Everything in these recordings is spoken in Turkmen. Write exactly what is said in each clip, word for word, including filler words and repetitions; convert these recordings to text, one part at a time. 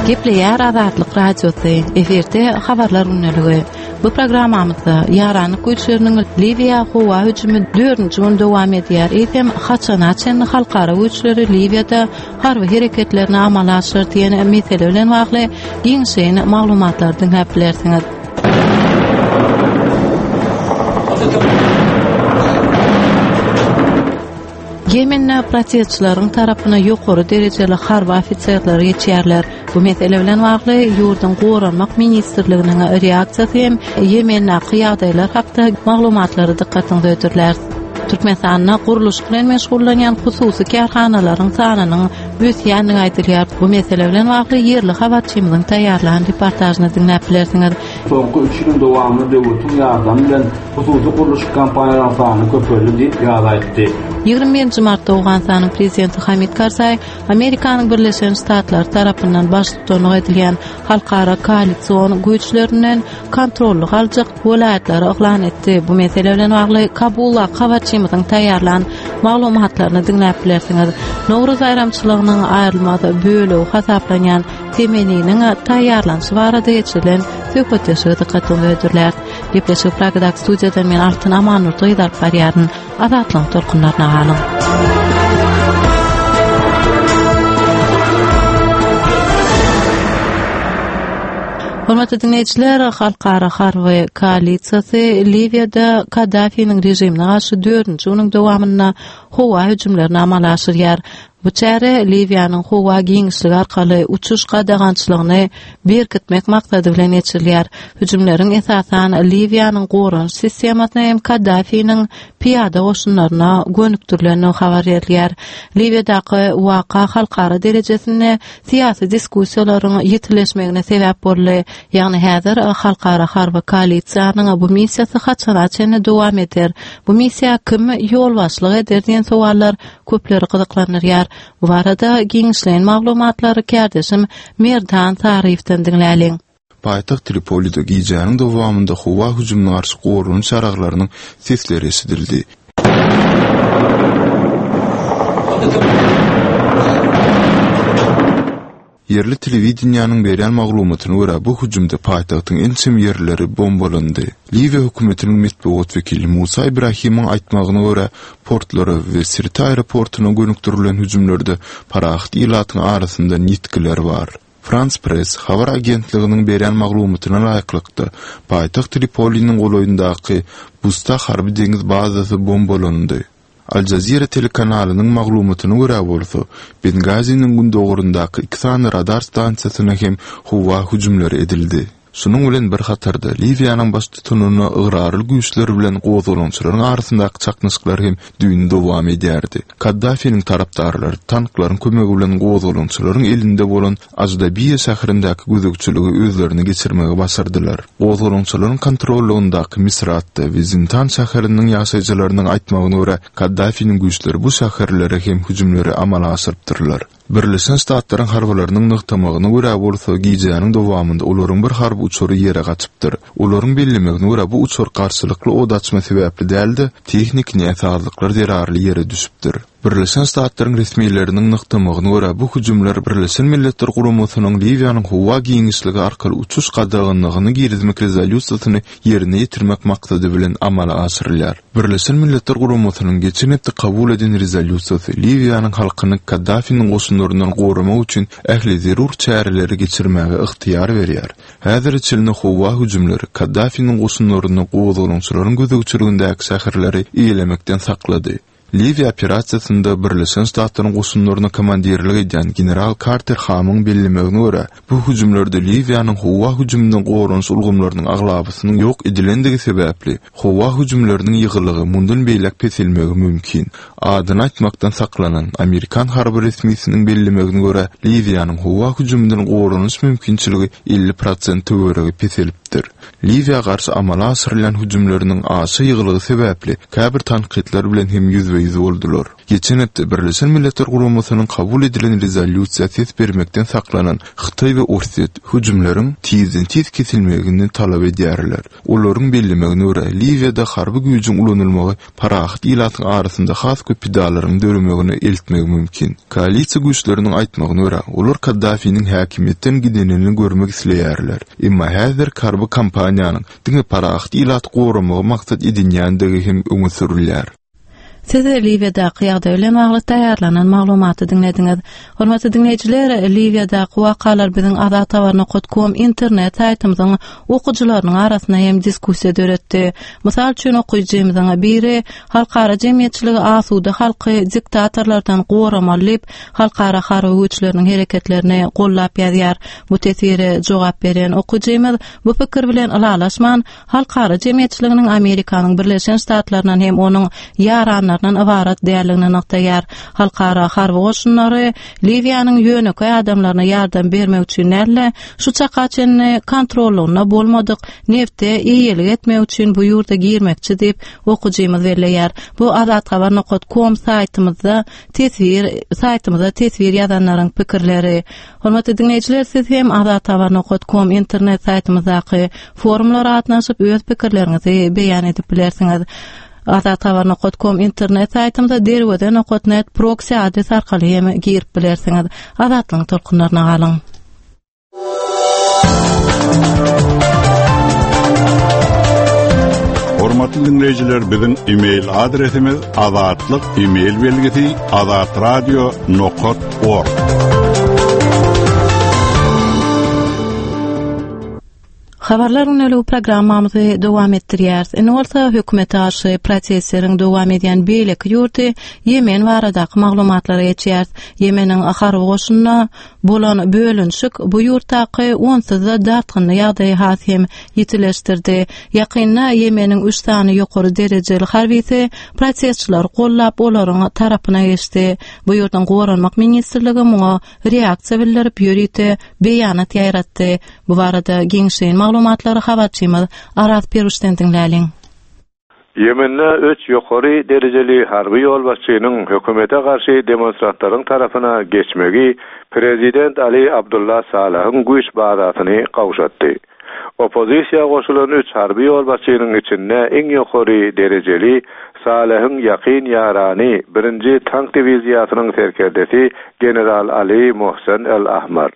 Gepleýär Azatlyk Radiosy, efirde habarlar gündeligi. Bu programmamyzda ýaranlyk güýçleriniň Liwiýa howa hüjümi dördünji gün dowam edýär. Eýsem haçana çenli halkara güýçleri Liwiýada harby hereketlerini amala aşyrar diýen mesele bilen bagly giňişleýin maglumatlary diňläp bilersiňiz. Ýemende protestçileriň tarapyna ýokary derejeli harby ofiserler geçýärler. Bu mesele bilen bagly ýurduň Goranmak ministrliginiň reaksiýasy hem Ýemendäki ýagdaýlar hakda maglumatlary dykgatyňyza hödürlär. Türkmenistanda gurluşyk bilen meşgullanýan hususy kärhanalaryň sanynyň ösýändigi aýdylýar. Bu mesele bilen bagly ýerli habarçymyzyň taýýarlan reportažyny diňläp bilersiňiz. Soňky üç ýylyň dowamynda döwletiň ýardamy bilen hususy gurluşyk kompaniýalaryň sany köpeldi diýip, Ýaz aýtdy. Ýigrimi birinji martda Owganystanyň prezidenti Hamid Karzaý Amerikanyň Birleşen Ştatlary tarapyndan baştutanlyk edilýän halkara koalision güýçlerinden kontrollyk aljak welaýatlary yglan etdi. Bu mesele bilen bagly Kabulda habarçymyzyň taýýarlan maglumatlaryny diňläp bilersiňiz. Nowruz baýramçylygynyň aýrylmaz bölegi hasaplanýan Temeniniň taýýarlanyşy barada geçirilen söhbetdeşligi dykgatyňyza hödürläris. Gepleşigi Pragadaky studiýadan men Altyn Amannurdy gyz alyp barýaryn. Azatlygyň tolkunlaryna galyň. Hormatly diňleýjiler, Halkara harby koalisiýasy Liwiýada Kaddafiniň režimine garşy dördünji günüň dowamynda howa hüjümlerini amala aşyrýar. Bu çäre Liwiýanyň howa giňişligi arkaly uçuş gadagançylygyny berkitmek maksady bilen geçirilýär. Hüjümleriň esasan Liwiýanyň goranyş sistemasyna hem Kaddafiniň pyýada goşunlaryna gönükdirilendigi habar berilýär. Liwiýadaky waka halkara derejesinde syýasy diskussiýalaryň ýitileşmegine sebäp boldy. Ýagny häzir halkara harby koalisiýanyň bu missiýasy haçana çenli dowam eder? Bu missiýa kim ýolbaşçylyk eder diýen sowallar köpleri gyzyklandyrýar. Bu barada giňişleýin maglumatlary kärdeşim Merdan Saryýewden diňläliň. Paýtagt Tripolide gijäniň dowamynda howa hüjümine garşy goranyş ýaraglarynyň sesleri eşidildi. Ýerli telewideniýäniň berýän maglumatyna görä, bu hüjümde paýtagtyň ençeme ýerleri bombalandy. Liwiýa hökümetiniň metbugat wekili Musa Ibrahimiň aýtmagyna görä, portlara we Sirte aeroportuna gönükdirilen hüjümlerde parahat ilatyň arasyndan ýitgiler bar. Frans Press habar agentliginiň berýän maglumatyna laýyklykda, paýtagt Tripoliniň golaýyndaky Busta harby deňiz bazasy bombalandy. Al Jazeera telekanalynyň maglumatyna görä bolsa, Bengaziniň gündogaryndaky iki sany radar stansiýasyna hem howa hüjümleri edildi. Şunuň bilen bir hatarda, Liwiýanyň baştutanyna ygrarly güýçler bilen gozgalaňçylaryň arasyndaky çaknyşyklar hem düýn dowam edýärdi. Kaddafiniň tarapdarlary tanklaryň kömegi bilen gozgalaňçylaryň elinde bolan Ajdabiýa şäherindäki gözegçiligi özlerine geçirmegi başardylar. Gozgalaňçylaryň kontrollygyndaky Misratda we Zintan şäheriniň ýaşaýjylarynyň aýtmagyna görä, Kaddafiniň güýçleri bu şäherlere hem hüjümleri amala aşyrypdyrlar. Birleşen Ştatlaryň harbylarynyň nygtamagyna görä bolsa, gijäniň dowamynda olaryň bir harby uçary ýere gaçypdyr. Olaryň bellemegine görä, bu uçar garşylykly od açma sebäpli däl-de, tehniki näsazlyklar zerarly ýere düşüpdir. Birleşen Ştatlaryň resmileriniň nygtamagyna görä, bu hüjümler Birleşen Milletler Guramasynyň Liwiýanyň howa giňişligi arkaly uçuş gadaganlygyny girizmek rezolýusiýasyny ýerine ýetirmek maksady bilen amala aşyrylýar. Birleşen Milletler Guramasynyň geçen hepde kabul eden rezolýusiýasy Liwiýanyň halkyny Kaddafiniň goşunlaryndan goramak üçin ähli zerur çäreleri geçirmäge ygtyýar berýär. Häzire çenli howa hüjümleri Kaddafiniň goşunlaryny gozgalaňçylaryň gözegçiligindäki şäherleri eýelemekden saklady. Liwiýa operasiýasynda Birleşen Ştatlaryň goşunlaryna komandirlik edýän general Karter Hamyň bellemegine görä, bu hüjümlerde Liwiýanyň howa hüjüminden goranyş ulgamlarynyň aglabasynyň ýok edilendigi sebäpli, howa hüjümleriniň ýygylygy mundan beýläk peselmegi mümkin. Adyny aýtmakdan saklanan amerikan harby resmisiniň bellemegine görä, Liwiýanyň howa hüjüminden goranyş mümkinçiligi elli prosent töweregi peselipdir. Liwiýa garşy amala aşyrylýan hüjümleriniň aşa ýygylygy sebäpli käbir tankytlar bilen hem ýüzbe-ýüz ýüzbe-ýüz boldular. Geçen hepde Birleşen Milletler Guramasynyň kabul edilen rezolýusiýa ses bermekden saklanan Hytaý we Orsýet hüjümleriň tizden-tiz kesilmegini talap edýärler. Olaryň bellemegine görä, Liwiýada harby güýjüň ulanylmagy parahat ilatyň arasynda has köp pidalaryň döremegine eltmegi mümkin. Koalisiýa güýçleriniň aýtmagyna görä, olar Kaddafiniň häkimiýetden gidenini görmek isleýärler. Emma häzir harby kampaniýanyň diňe parahat ilaty goramagy maksat edinýändigi hem öňe sürülýär. Siz Liwiýadaky ýagdaý bilen bagly taýýarlanan maglumaty diňlediňiz. Hormatly diňleýjiler, Liwiýadaky wakalar biziň azathabar nokta com internet saýtymyzyň okyjylarynyň arasynda hem diskussiýa döretdi. Mysal üçin okyjymyzyň biri halkara jemgyýetçiligi asuda halky diktatorlardan goramaly diýip, halkara harby güýçleriniň hereketlerini gollap ýazýar. Bu teswire jogap beren okyjymyz bu pikir bilen ylalaşman, halkara jemgyýetçiliginiň Amerikanyň Birleşen Ştatlaryndan hem onuň ýaranlaryndan ybarat däldigini nygtaýar. Halkara harby goşunlary Liwiýanyň ýönekeý adamlaryna ýardam bermek üçin däl-de, şu çaka çenli kontrollygynda bolmadyk nefte eýelik etmek üçin bu ýurda girmekçi diýip okyjymyz belleýär. Bu azathabar nokta com saýtymyzda teswir saýtymyzda teswir ýazanlaryň pikirleri. Hormatly diňleýjiler, siz hem azathabar nokta com internet saýtymyzdaky forumlara gatnaşyp öz pikirleriňizi beýan edip bilersiňiz. Azathabar nokta com internet saýtymyza derweze nokta net proxy adres arkaly hem girip bilersiňiz. Azatlygyň tolkunlaryna galyň. Hormatly dinleýjiler, biziň e-mail adresimiz azatlyk e-mail belgisi azatradio nokta org. Habarlar günlüğü programmamyzy dowam etdirýäris. Indi bolsa hökümete garşy protestleriň dowam edýän beýleki ýurdy Ýemen baradaky maglumatlara geçýäris. Ýemeniň harby goşunyna bolan bölünişik bu ýurtdaky onsuz-da dartgynly ýagdaýy has hem ýitileşdirdi. Ýakynda Ýemeniň üç sany ýokary derejeli harbisi protestçileri gollap olaryň tarapyna geçdi. Bu ýurduň Goranmak ministrligi muňa reaksiýa bildirip ýörite beýanat ýaýratdy. Bu barada giňişleýin maglumatlary habarçymyz Araz Peruşden diňläliň. Ýemende üç ýokary derejeli harby ýolbaşçynyň hökümete garşy demonstrantlaryň tarapyna geçmegi Prezident Ali Abdullah Salahyň güýç bazasyny gawşatdy. Oppozisiýa goşulan üç harby ýolbaşçynyň içinde iň ýokary derejeli Salahyň ýakyn ýarany birinji tank diwiziýasynyň serkerdesi General Ali Mohsen El-Ahmar.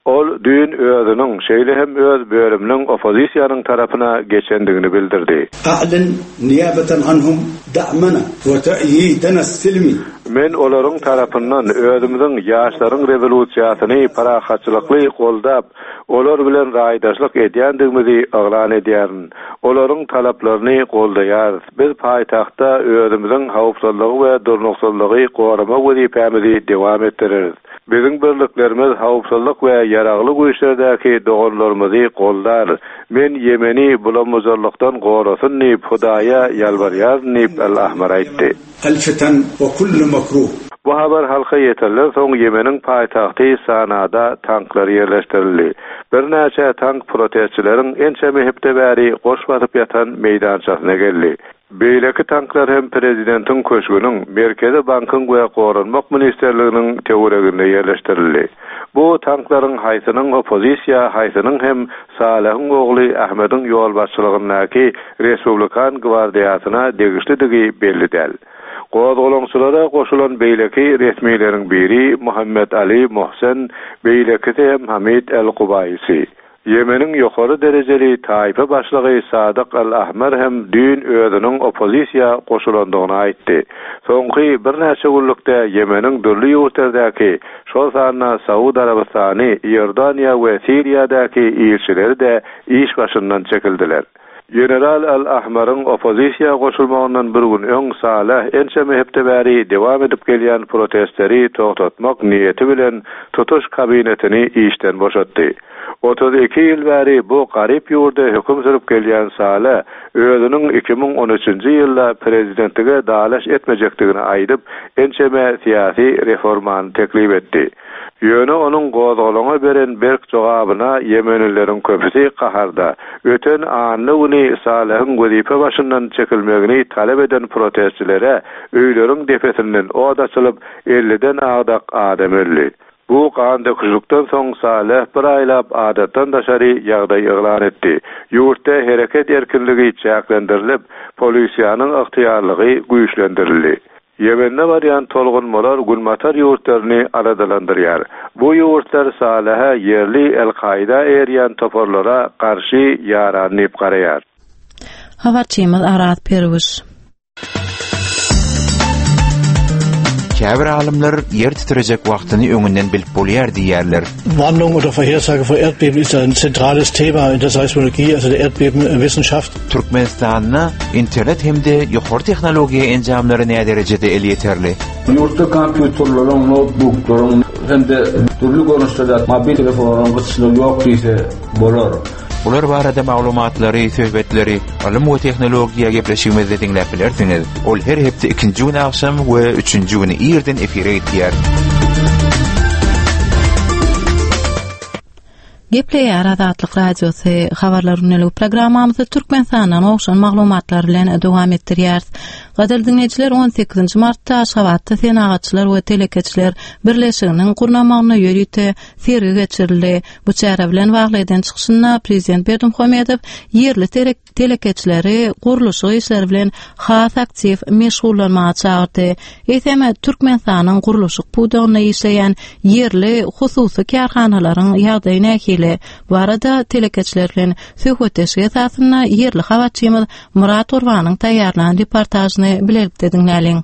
Ol düýn özüniň, şeýle hem öz bölüminiň oppozisiýanyň tarapyna geçendigini bildirdi. A'lin niyabatan anhum da'mana we ta'yidana silmi. Men olaryň tarapyndan özümiziň ýaşlaryň rewolýusiýasyny parahatçylykly goldap, olar bilen raýdaşlyk edýändigimizi yglan edýärin. Olaryň talaplaryny goldaýarys. Biz paýtagtda özümiziň howpsuzlygy we durnuksyzlygy gorama wezipämizi dowam etdireris. Biziň birliklerimiz howpsuzlyk we ýaragly güýçlerdäki doganlarymyzy goldar. Men Ýemeni bulamuzarlykdan gorasyn diýip Hudaýa ýalbarýaryn diýip El-Ahmar aýtdy. El-fitan we kullu makruh. Bu habar halka ýetirilen soň Ýemeniň paýtagty Sanada tanklar ýerleşdirildi. Birnäçe tank protestçileriň ençeme hepde bäri goş basyp ýatan meýdançasyna geldi. Beýleki tanklar hem prezidentiň köşgüniň, Merkezi bankyň we Goranmak ministrliginiň töwereginde ýerleşdirildi. Bu tanklaryň haýsynyň oppozisiýa, haýsynyň hem Salahyň ogly Ahmediň ýolbaşçylygyndaky Respublikan gwardiýasyna degişlidigi belli däl. Gozgalaňçylara goşulan beýleki resmileriň biri Muhammed Ali Mohsen, beýlekisi hem Hamid El-Kubaýsi. Ýemeniň ýokary derejeli taýpa başlygy Sadyk El-Ahmar hem düýn özüniň oppozisiýa goşulandygyny aýtdy. Soňky birnäçe günlükde Ýemeniň dürli ýurtlardaky, şol sanda Saud Arabystany, Iordaniýa we Siriýadaky ilçileri-de iş başyndan çekildiler. General Al-Ahmaryň oppozisiýa goşulmagyndan bir gün öň Salah ençeme hepde bäri dowam edip gelýän protestleri toxtatmak niýeti bilen tutuş kabinetini işden boşatdy. Otuz iki ýyl bäri bu garyp ýurda höküm sürüp gelýän Salah özüniň iki müň on üçünji ýylda prezidentlige dalaş etmejekdigini aýdyp, ençeme syýasy reformany teklip etdi. Ýöne onuň gozgalaňa beren berk jogabyna Ýemenlileriň köpüsi gaharda. Öten anna güni Salehiň wezipe başyndan çekilmegini talap eden protestçilere öýleriň depesinden od açylyp elliden agdak adam öldi. Bu gan döküşlikden soň Saleh bir aýlap adatdan daşary ýagdaý yglan etdi. Ýurtda hereket erkinligi çäklendirilip, polisiýanyň ygtyýarlygy güýçlendirildi. Ýemende barýan tolgunmalar Günbatar ýurtlaryny aladalandyrýar. Bu ýurtlar Salehe ýerli El-Kaida eýerýän toparlara garşy ýaran diýip garaýar. Habarçymyz Arat Perwiş. Käbir alymlar ýer titrejek wagtyny öňünden bilip bolýar diýýärler. Warnung oder Vorhersage vor Erdbeben ist ein zentrales Thema in der Seismologie, also der Erdbebenwissenschaft. Türkmenistanda internet hem-de ýokary tehnologiýa enjamlary näme derejede elýeterli? Ýurtda kompýuterleriň, noutbuklaryň hem-de dürli görnüşlerde mobil telefonlaryň gytçylygy ýok diýse bolar. Bular barada maglumatlary, söhbetleri ylym we tehnologiýa gepleşigimizde diňläp bilersiňiz. Ol her hepde ikinji gün agşam we üçünji güni irden efire gitýär. Gepleýär Azatlyk Radiosy habarlar günlük programmamyzy Türkmenistandan gowşan maglumatlar bilen dowam etdirýäris. Gadyrly diňleýjiler, on sekizinji martda Aşgabatda Senagatçylar we Telekeçiler Birleşiginiň gurnamagyna ýörite sergi geçirildi. Bu çäre bilen bagly eden çykyşynda Prezident Berdimuhamedow ýerli telekeçileri gurluşyk işleri bilen has aktiw meşgullanmaga çagyrdy. Eýsem Türkmenistanyň gurluşyk pudagynda işleýän ýerli hususy kärhanalaryň ýagdaýy nähili? Bu arada telekeçiler bilen söhbetdeşlik esasynda ýerli habarçymyz Murat Gurbanyň taýýarlan reportažyny bilelikde diňläliň.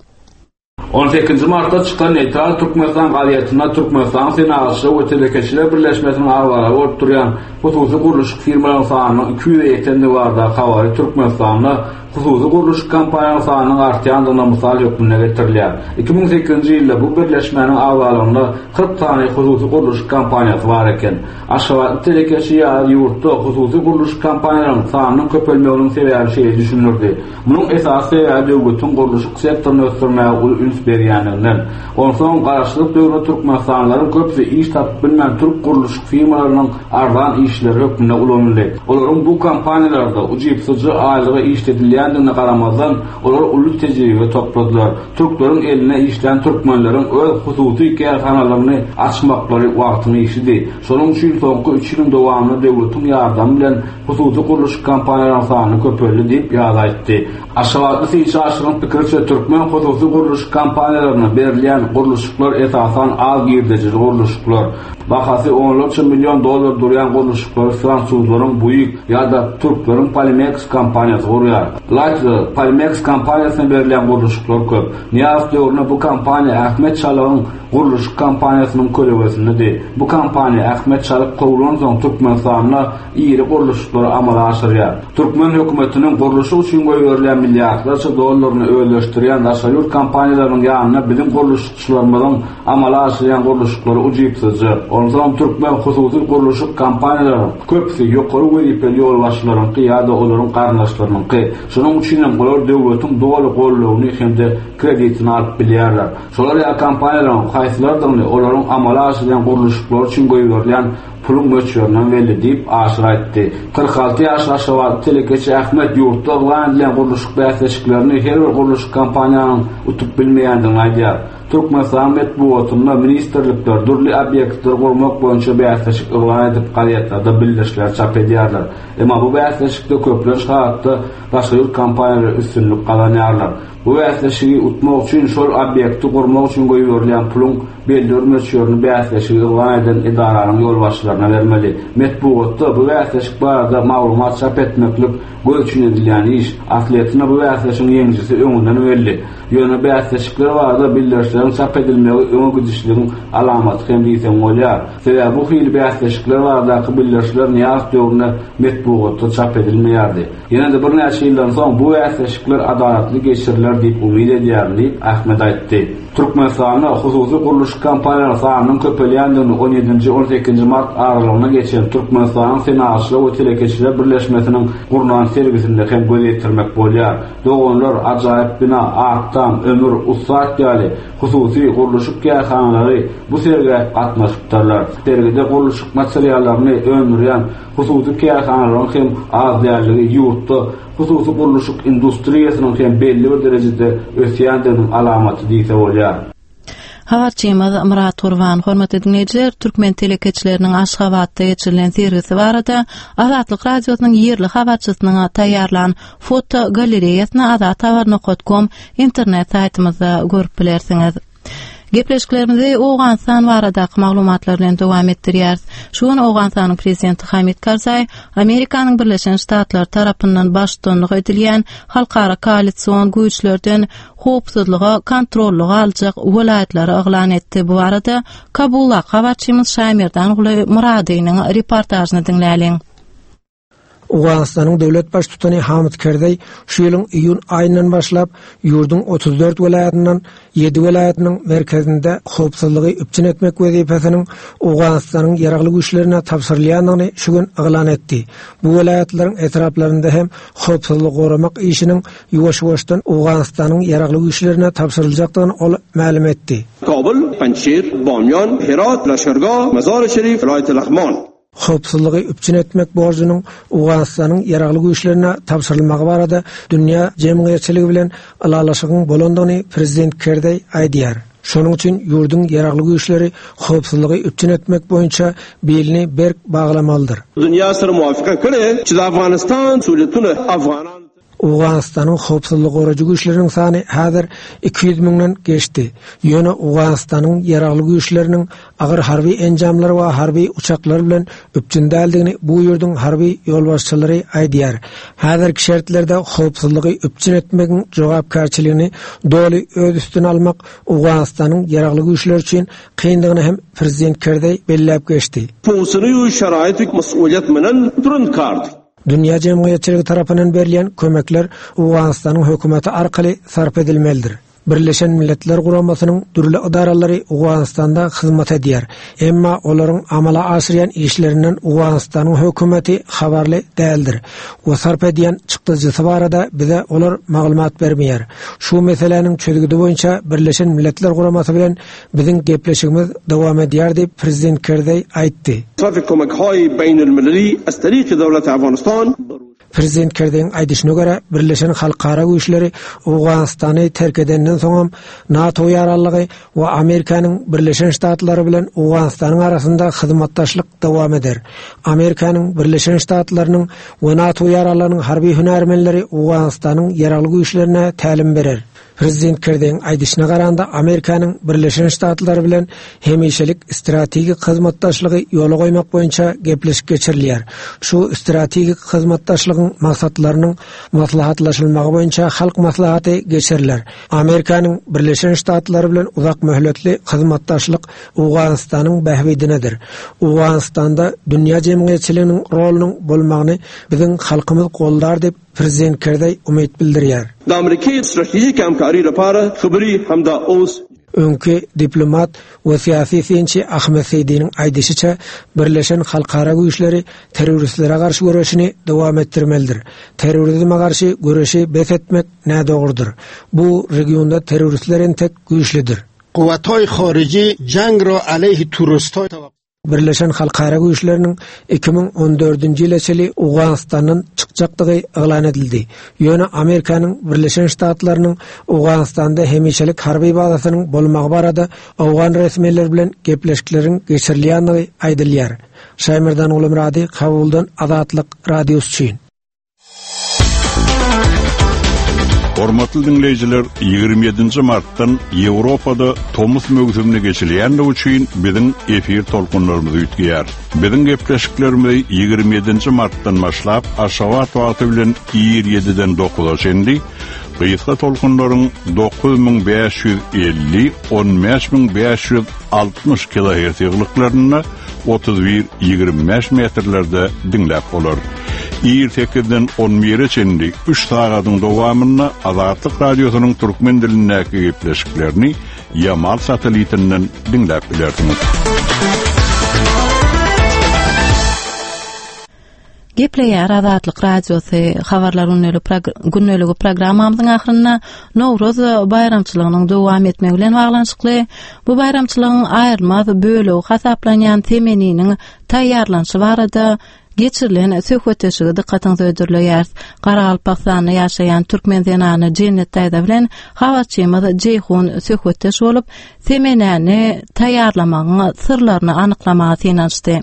on sekizinji martda çykan Neýtral Türkmenistan gazetinde Türkmenistan Senagatçylar we Telekeçiler Birleşmesiniň agzalary bolup durýan hususy gurluşyk firmalaryň sanynyň iki ýüze ýetendigi barada habary Türkmenistanda hususy gurluşyk kompaniýalaryň sanynyň artýandygyna mysal hökmünde getirilýär. iki müň sekizinji ýylda bu birleşmäniň agzalygynda kyrk sany hususy gurluşyk kompaniýasy bar eken. Aşgabatly telekeçi ýa ýurtda hususy gurluşyk kompaniýalaryň sanynyň köpelmeginiň sebäbi şeýle düşündirdi. Munuň esasy sebäbi döwletiň gurluşyk sektoryny ösdürmäge uly üns berýändiginden. Onsoň garaşsyzlyk döwründe Türkmenistanlylaryň köpüsi iş tapyp bilmän türk gurluşyk firmalarynyň arzan işleri hökmünde ulanyldy. Olaryň bu kompaniýalarda ujypsyzja aýlyga işledilýändigine garamazdan, olar uly tejribe topladylar. Türkleriň eline işlän türkmenleriň öz hususy kärhanalaryny açmaklary wagtyň işidi. Şonuň üçin soňky üç ýylyň dowamynda döwletiň ýardamy bilen hususy gurluşyk kompaniýalaryň sany köpeldi diýip ýaz aýtdy. Aşgabatly synçy Aşyryň pikiriçe türkmen hususy gurluşyk kompaniýalaryna berilýän gurluşyklar esasan az girdejili gurluşyklar. Bahasy onlarça milyon dollar durýan gurluşyklary fransuzlaryň Bouygues ýa-da türkleriň Polimeks kompaniýasy gurýar. Ylaýta-da Polimeks kompaniýasyna berilýän gurluşyklar köp. Nyýazow döwründe bu kompaniýa Ahmet Çalygyň gurluşyk kompaniýasynyň kölegesindedi. Bu kompaniýa Ahmet Çalyk kowulansoň Türkmenistanda iri gurluşyklary amala aşyrýar. Türkmen hökümetiniň gurluşyk üçin goýberilýän milliardlarça dollaryny özleşdirýän daşary ýurt kompaniýalarynyň ýanynda biziň gurluşykçylarymyzyň amala aşyrýan gurluşyklary ujypsyzja. Onsoň türkmen hususy gurluşyk kompaniýalarynyň köpüsi ýokary wezipeli ýolbaşçylaryňky ýa-da olaryň garyndaşlarynyňky. Şonuň üçin hem olar döwletiň doly goldawyny hem-de kreditini alyp bilýärler. Şolar ýa kompaniýalaryň haýsylardygyny olaryň amala aşyrýan gurluşyklary üçin goýberilýän puluň möçberinden belli diýip Aşyr aýtdy. Kyrk alty ýaşly Aşgabatly telekeçi Ahmet ýurtda yglan edilen gurluşyk bäsleşiklerini her bir gurluşyk kompaniýanyň utup bilmeýändigini aýdýar. Türkmenistan metbugatynda ministrlikler dürli obýektleri gurmak boýunça bäsleşik yglan edip gazetlerde bildirişler çap edýärler. Emma bu bäsleşikde köplenç halatda daşary ýurt kompaniýalary üstünlik gazanýarlar. Bu bäsleşigi utmak üçin şol obýekti gurmak üçin goýberilýän puluň belli bir möçberini bäsleşigi yglan eden edaranyň ýolbaşçylaryna bermeli. Metbugatda bu bäsleşik barada maglumat çap etmeklik göz üçin edilýän iş. Aslyýetinde bu bäsleşigiň ýeňijisi öňünden belli. Ýöne bäsleşikler barada bildirişleriň çap edilmegi öňe gidişligiň alamaty hem diýseň bolýar. Sebäbi bu hili bäsleşikler baradaky bildirişler Nyýazow döwründe metbugatda çap edilmeýärdi. Ýene-de birnäçe ýyldan soň bu bäsleşikler adalatly geçiriler diýip umyt edýärin diýip Ahmet aýtdy. Türkmenistanda hususy gurluşyk kompaniýalarynyň sanynyň köpelýändigini on ýedinji on sekizinji mart aralygyna geçen Türkmenistanyň Senagatçylar we Telekeçiler Birleşmesiniň gurnan sergisinde hem göz ýetirmek bolýar. Doganlar, ajaýyp bina, Aktam, Ömür, Ussat ýaly hususy gurluşyk kärhanalary bu sergä gatnaşypdyrlar. Sergide gurluşyk materiallaryny öndürýän hususy kärhanalaryň hem az dälligi ýurtda hususy gurluşyk industriýasynyň hem belli bir derejede ösýändiginiň alamaty diýse bolýar. Habarçymyz Murat Gurban, hormatly dinleýjiler, türkmen telekeçileriniň Aşgabatda geçirilen sergisi barada Azatlyk Radiosynyň ýerli habarçysynyň taýýarlan foto galereýasyny azathabar nokta com internet saýtymyzda görüp bilersiňiz. Gepleşiklerimizi Owganystan baradaky maglumatlar bilen dowam etdirýäris. Şu gün Owganystanyň prezidenti Hamid Karzai Amerikanyň Birleşen Ştatlary tarapyndan baştutanlyk edilýän halkara koalision güýçlerden howpsuzlyga kontrollyga aljak welaýatlary yglan etdi. Bu barada Kabulda habarçymyz Şaýmerdan Guly Muradynyň reportažyny diňläliň. Owganystanyň döwlet baştutany Hamid Karzai şu ýylyň iýun aýyndan başlap ýurduň otuz dört welaýatyndan ýedi welaýatynyň merkezinde howpsuzlygy üpjün etmek wezipesiniň Owganystanyň ýaragly güýçlerine tabşyrylýandygyny şu gün yglan etdi. Bu welaýatlaryň etraplarynda hem howpsuzlygy goramak işiniň ýuwaş-ýuwaşdan Owganystanyň ýaragly güýçlerine tabşyryljakdygyny ol mälim etdi. Kabul, Panjshir, Bamyan, Herat, Laşkargah, Mazar-i Şerif, Vilayet Laghman. Howpsuzlygy üpjün etmek borjunyň Owganystanyň ýaragly güýçlerine tabşyrylmagy barada dünýä jemgyýetçiligi bilen ylalaşygyň bolandygyny prezident Karzai aýdýar. Şonuň üçin ýurduň ýaragly güýçleri howpsuzlygy üpjün etmek boýunça belini berk baglamalydyr. Dünýä syr muwafyka kere, çi Afganistan suletune Afganan Owganystanyň howpsuzlyk gorajy güýçleriniň sany häzir iki ýüz müňden geçdi. Ýöne Owganystanyň ýaragly güýçleriniň agyr harby enjamlar we harby uçaklar bilen üpjün däldigini bu ýurduň harby ýolbaşçylary aýdýar. Häzirki şertlerde howpsuzlygy üpjün etmegiň jogapkärçiligini doly öz üstüne almak Owganystanyň ýaragly güýçleri üçin kyndygyny hem prezident Karzai belläp geçdi. Fowsunu şaraýty mas'uliyet menen durun kart. Dünýä jemgyýetçiligi tarapyndan berilýän kömekler Owganystanyň hökümeti arkaly sarp edilmelidir. Birleşen Milletler Guramasynyň dürli edaralary Owganystanda hyzmat edýär. Emma olaryň amala aşyrýan işlerinden Owganystanyň hökümeti habarly däldir. We sarp edýän çykdajysy barada bize olar maglumat bermeýär. Şu meseläniň çözgüdi boýunça Birleşen Milletler Guramasy bilen biziň gepleşigimiz dowam edýär diýip prezident Karzai aýtdy. Sarf kömekhaý beýnül-millili astariqi döwlet Afganistan. Prezident Karzaiň aýdyşyna görä, Birleşen Halkara Güýçleri Owganystany terk edenden soňam NATO ýararlygy we Amerikanyň Birleşen Ştatlary bilen Owganystanyň arasynda hyzmatdaşlyk dowam eder. Amerikanyň Birleşen Ştatlarynyň we NATO ýararlygynyň harby hünärmenleri Owganystanyň ýaragly güýçlerine tälim berer. Prezident Karzaiň aýdyşyna garanda Amerikanyň Birleşen Ştatlary bilen hemişelik strategik hyzmatdaşlygy ýola goýmak boýunça gepleşik geçirilýär. Şu strategik hyzmatdaşlygyň maksatlarynyň maslahatlaşylmagy boýunça halk maslahaty geçiriler. Amerikanyň Birleşen Ştatlary bilen uzak möhletli hyzmatdaşlyk Owganystanyň bähbidinedir. Owganystanda dünýä jemgyýetçiliginiň rolunyň bolmagyny biziň halkymyz goldar diýip prezident Karzai umyt bildirýär. Da Amerika stratejik hamkari lapara xabari hamda os Öňki diplomat we syýasy synçy Ahmet Seýdiniň aýdyşyça Birleşen Halkara Güýçleri terroristlere garşy göreşini dowam etdirmelidir. Terrorizme garşy göreşi bes etmek nädogrudyr. Bu regionda terroristler entek güýçlidir. Quwwatay xarici jang ra aleyhi turistay Birleşen Halkara Güýçleriniň iki müň on dördünji ýyla çenli Owganystandan çykjakdygy yglan edildi. Ýöne Amerikanyň Birleşen Ştatlarynyň Owganystanda hemişelik harby bazasynyň bolmagy barada Owgan resmileri bilen gepleşikleriň geçirilýändigi aýdylýar. Şaýmerdan Gulumyrady, Kabuldan Azatlyk Radiosy üçin. Hormatly dinleýjiler, ýigrimi ýedinji martdan Ýewropada tomus möwsümine geçilýändigi üçin biziň efir tolkunlarymyz üýtgeýär. Biziň gepleşiklerimizi ýigrimi ýedinji martdan başlap Aşgabat wagty bilen ir ýediden dokuza çenli gysga tolkunlaryň dokuz müň bäş ýüz elli, on bäş müň bäş ýüz altmyş kilohertz ýyglyklarynda otuz bir ýigrimi bäş metrlerde diňläp bolar. Ir sekizden on bire çenli üç sagadyň dowamynda Azatlyk Radiosynyň türkmen dilindäki gepleşiklerini Yamal satellitinden diňläp bilersiňiz. Gepleýär Azatlyk Radiosy habarlar gündeligi programmamyzyň ahyrynda Nowruz baýramçylygynyň dowam etmegi bilen baglanyşykly bu baýramçylygyň aýrylmaz bölegi hasaplanýan semeniniň taýýarlanyşy barada geçirilen söhbetdeşligi dykgatyňyza hödürleýäris. Garagalpagystanda ýaşaýan türkmen zenany Jennet daýza bilen habarçymyz Jeýhun söhbetdeş bolup, semenäni taýýarlamagyň syrlaryny anyklamaga synanyşdy.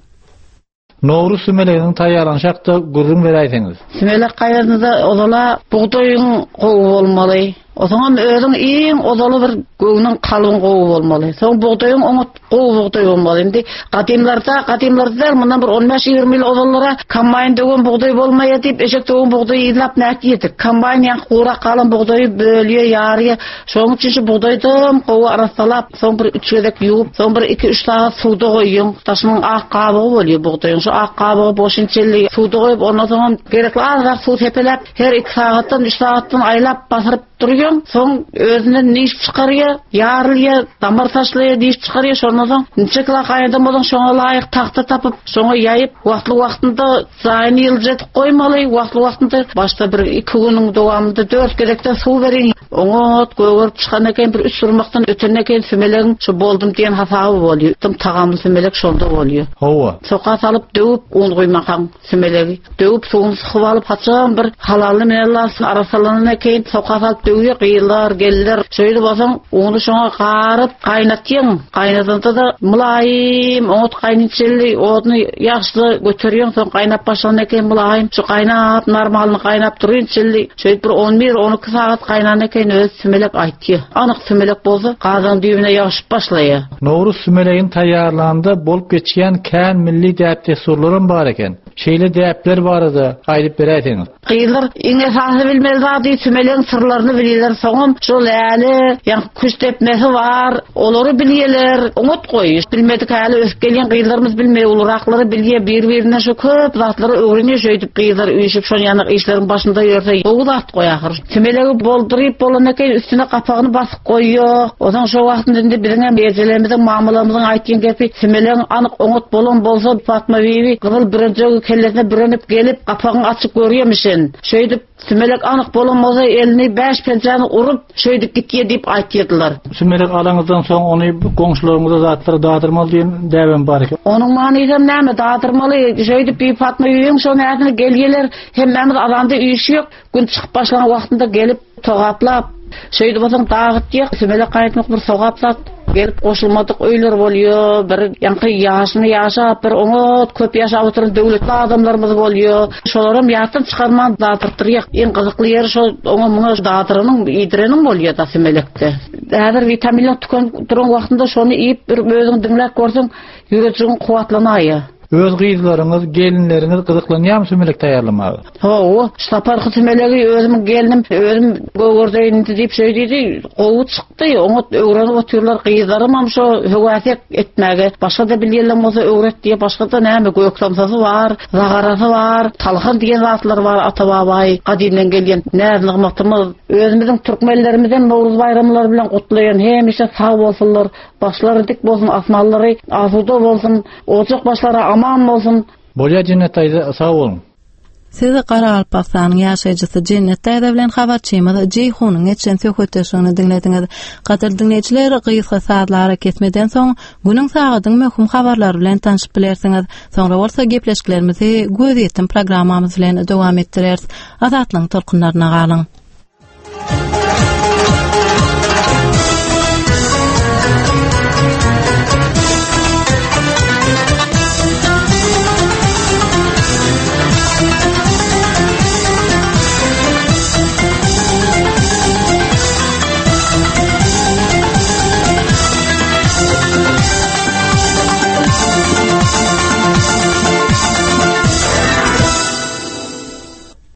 Nowruz sümeleginiň taýýarlanyşy hakda gürrüň beräýseňiz. Sümelek gaýrynda ozala bugdaýyň gowy bolmaly. Ozaňam özüň iň ozaly bir göwnüň kalbyň gowy bolmaly. Soň bugdaýyň oňat gowy bugdaý bolmaly. Indi gadymlarda, gadymlarda däl, mundan bir on bäş ýigrimi ýyl ozallara kombaýn döwen bugdaý bolmaýar diýip, eşek döwen bugdaýy yzlap näk ýedik. Kombaýn ýaňky gurak galan bugdaýy bölýär, ýarýar. Şonuň üçin şu bugdaýdan gowy arassalap, soň bir üç gezek ýuwup, soň bir iki üç sagat suwda goýuň. Daşynyň ak gabygy bolýar bugdaýyň. Şu ak gabygy boşun çelli suwda goýup, ondan soň gerekli azrak suw sepeläp, her iki sagatdan, üç sagatdan aýlap basyryp durýan, soň özünden niş çykarýar, ýarylýar, damar taşlaýar, diş çykarýar, şondan soň niçe kilo gaýnadam bolsaň şoňa laýyk tagta tapyp, şoňa ýaýyp, wagtly wagtynda zaýyny ýyljadyp goýmaly, wagtly wagtynda başda bir iki günüň dowamynda dört gezekden suw beriň. Oňat gögerip çykan eken bir üç urmakdan öten eken sümelegiň şu boldum diýen hasaby bolýar. Tüm tagamly sümelek şonda bolýar. Hawa. Soka salyp döwüp un guýmakaň sümelegi. Döwüp suwuny sykyp alyp haçan bir halally menellasyn arasalanan eken soka salyp döwýär, gyýlar, geller. Şeýle bolsaň uny şoňa garyp gaýnatýaň. Gaýnadanda da mylaýym oňat gaýnatçyly odny ýagşy göterýäň, soň gaýnap başlan eken mylaýym şu gaýnap normalny gaýnap durýançyly. Şeýle bir on bir on iki sagat gaýnan eken öz sümelek aýtýar. Anyk sümelek bolsa gazan düýbüne ýagyşyp başlaýar. Nowruz sümelegini taýýarlanda bolup geçýän kän milli däp-dessurlaram bar eken. Şeýle däpler barada aýdyp beräýseňiz. Gyzlar iň esasy bilmeli zady sümelegiň syrlaryny bilýärler. Soňam şol äli, ýa küş depmesi bar, olary bilýärler. Oňat goý. Bilmedik äli ösüp gelýän gyzlarymyz bilmeýär, uluraklary bilýär, bir-birinden şu köp zatlary öwrenýär. Şeýdip gyzlar üýşüp şol ýanak işleriň başynda ýörse gowy zat goý ahyr. Sümelegi bolduryp bolan eken üstüne gapagyny basyp goýýar. Onsoň şo wagtynda indi biziň hem ejelerimiziň, mamalarymyzyň aýtýan gepi sümelegiň anyk oňat bolan bolsa Fatma bibi gyzyl bürenjegi kellesine bürenip gelip gapagyny açyp görýärmişin. Şeýdip sümelek anyk bolan bolsa elini bäş penjäni urup şeýdip gitýär diýip aýtýardylar. Sümelek alaňyzdan soň ony goňşularyňyza zatlary dadyrmaly diýen däbem bar eken. Onuň manysam näme dadyrmaly? Şeýdip bir Fatma bibiň şo näsini gelýärler, hemmämiz azanda üýşýük, gün çykyp başlan wagtynda gelip togaplap, şeýdip bolsaň dagytýar, sümelek gaýtmak bir sogap zat. Gelip goşulmadyk öýler bolýar, bir ýaňky ýaşyny ýaşap, bir oňat köp ýaşap oturan döwletli adamlarymyz bolýar. Şolaram ýatdan çykarman dadyrtdyrýar. Iň gyzykly ýeri şo oňa muňa dadyranyň, iýdireniň bolýar da sümelekde. Häzir witaminler tükenip duran wagtynda şony iýip bir özüň diňläp görseň, ýürejigiň kuwwatlanaýar. Öz gyzlaryňyz, gelinleriňiz gyzyklanýarmy sümelek taýýarlamaga? Hawa, saparky sümelegi özümiň gelnim, özüm gögerdeýin diýip şeý diýdi, gowy çykdy. Oňat öwrenip otyrlar gyzlarym hem şo höwäsek etmäge. Başga-da bilýänler bolsa öwret diýip, başga-da näme gök somsasy bar, zagarasy bar, talhan diýen zatlar bar, ata-babaý gadymdan gelýän näz-nygmatymyz. Özümiziň türkmenlerimizden Nowruz baýramlary bilen gutlaýan, hemişe sag bolsunlar, başlary dik bolsun, asmanlary asuda bolsun, ocak başlary aman bolsun. Bolýa Jennet daýza, sag boluň. Siz Garagalpagystanyň ýaşaýjysy Jennet daýza bilen habarçymyz Jeýhunyň geçen söhbetdeşligini diňlediňiz. Gadyrly diňleýjiler, gysga sazlara kesmeden soň günüň sagadyň möhüm habarlary bilen tanşyp bilersiňiz. Soňra bolsa gepleşiklerimizi göz ýetim programmamyz bilen dowam etdireris. Azatlygyň tolkunlaryna galyň.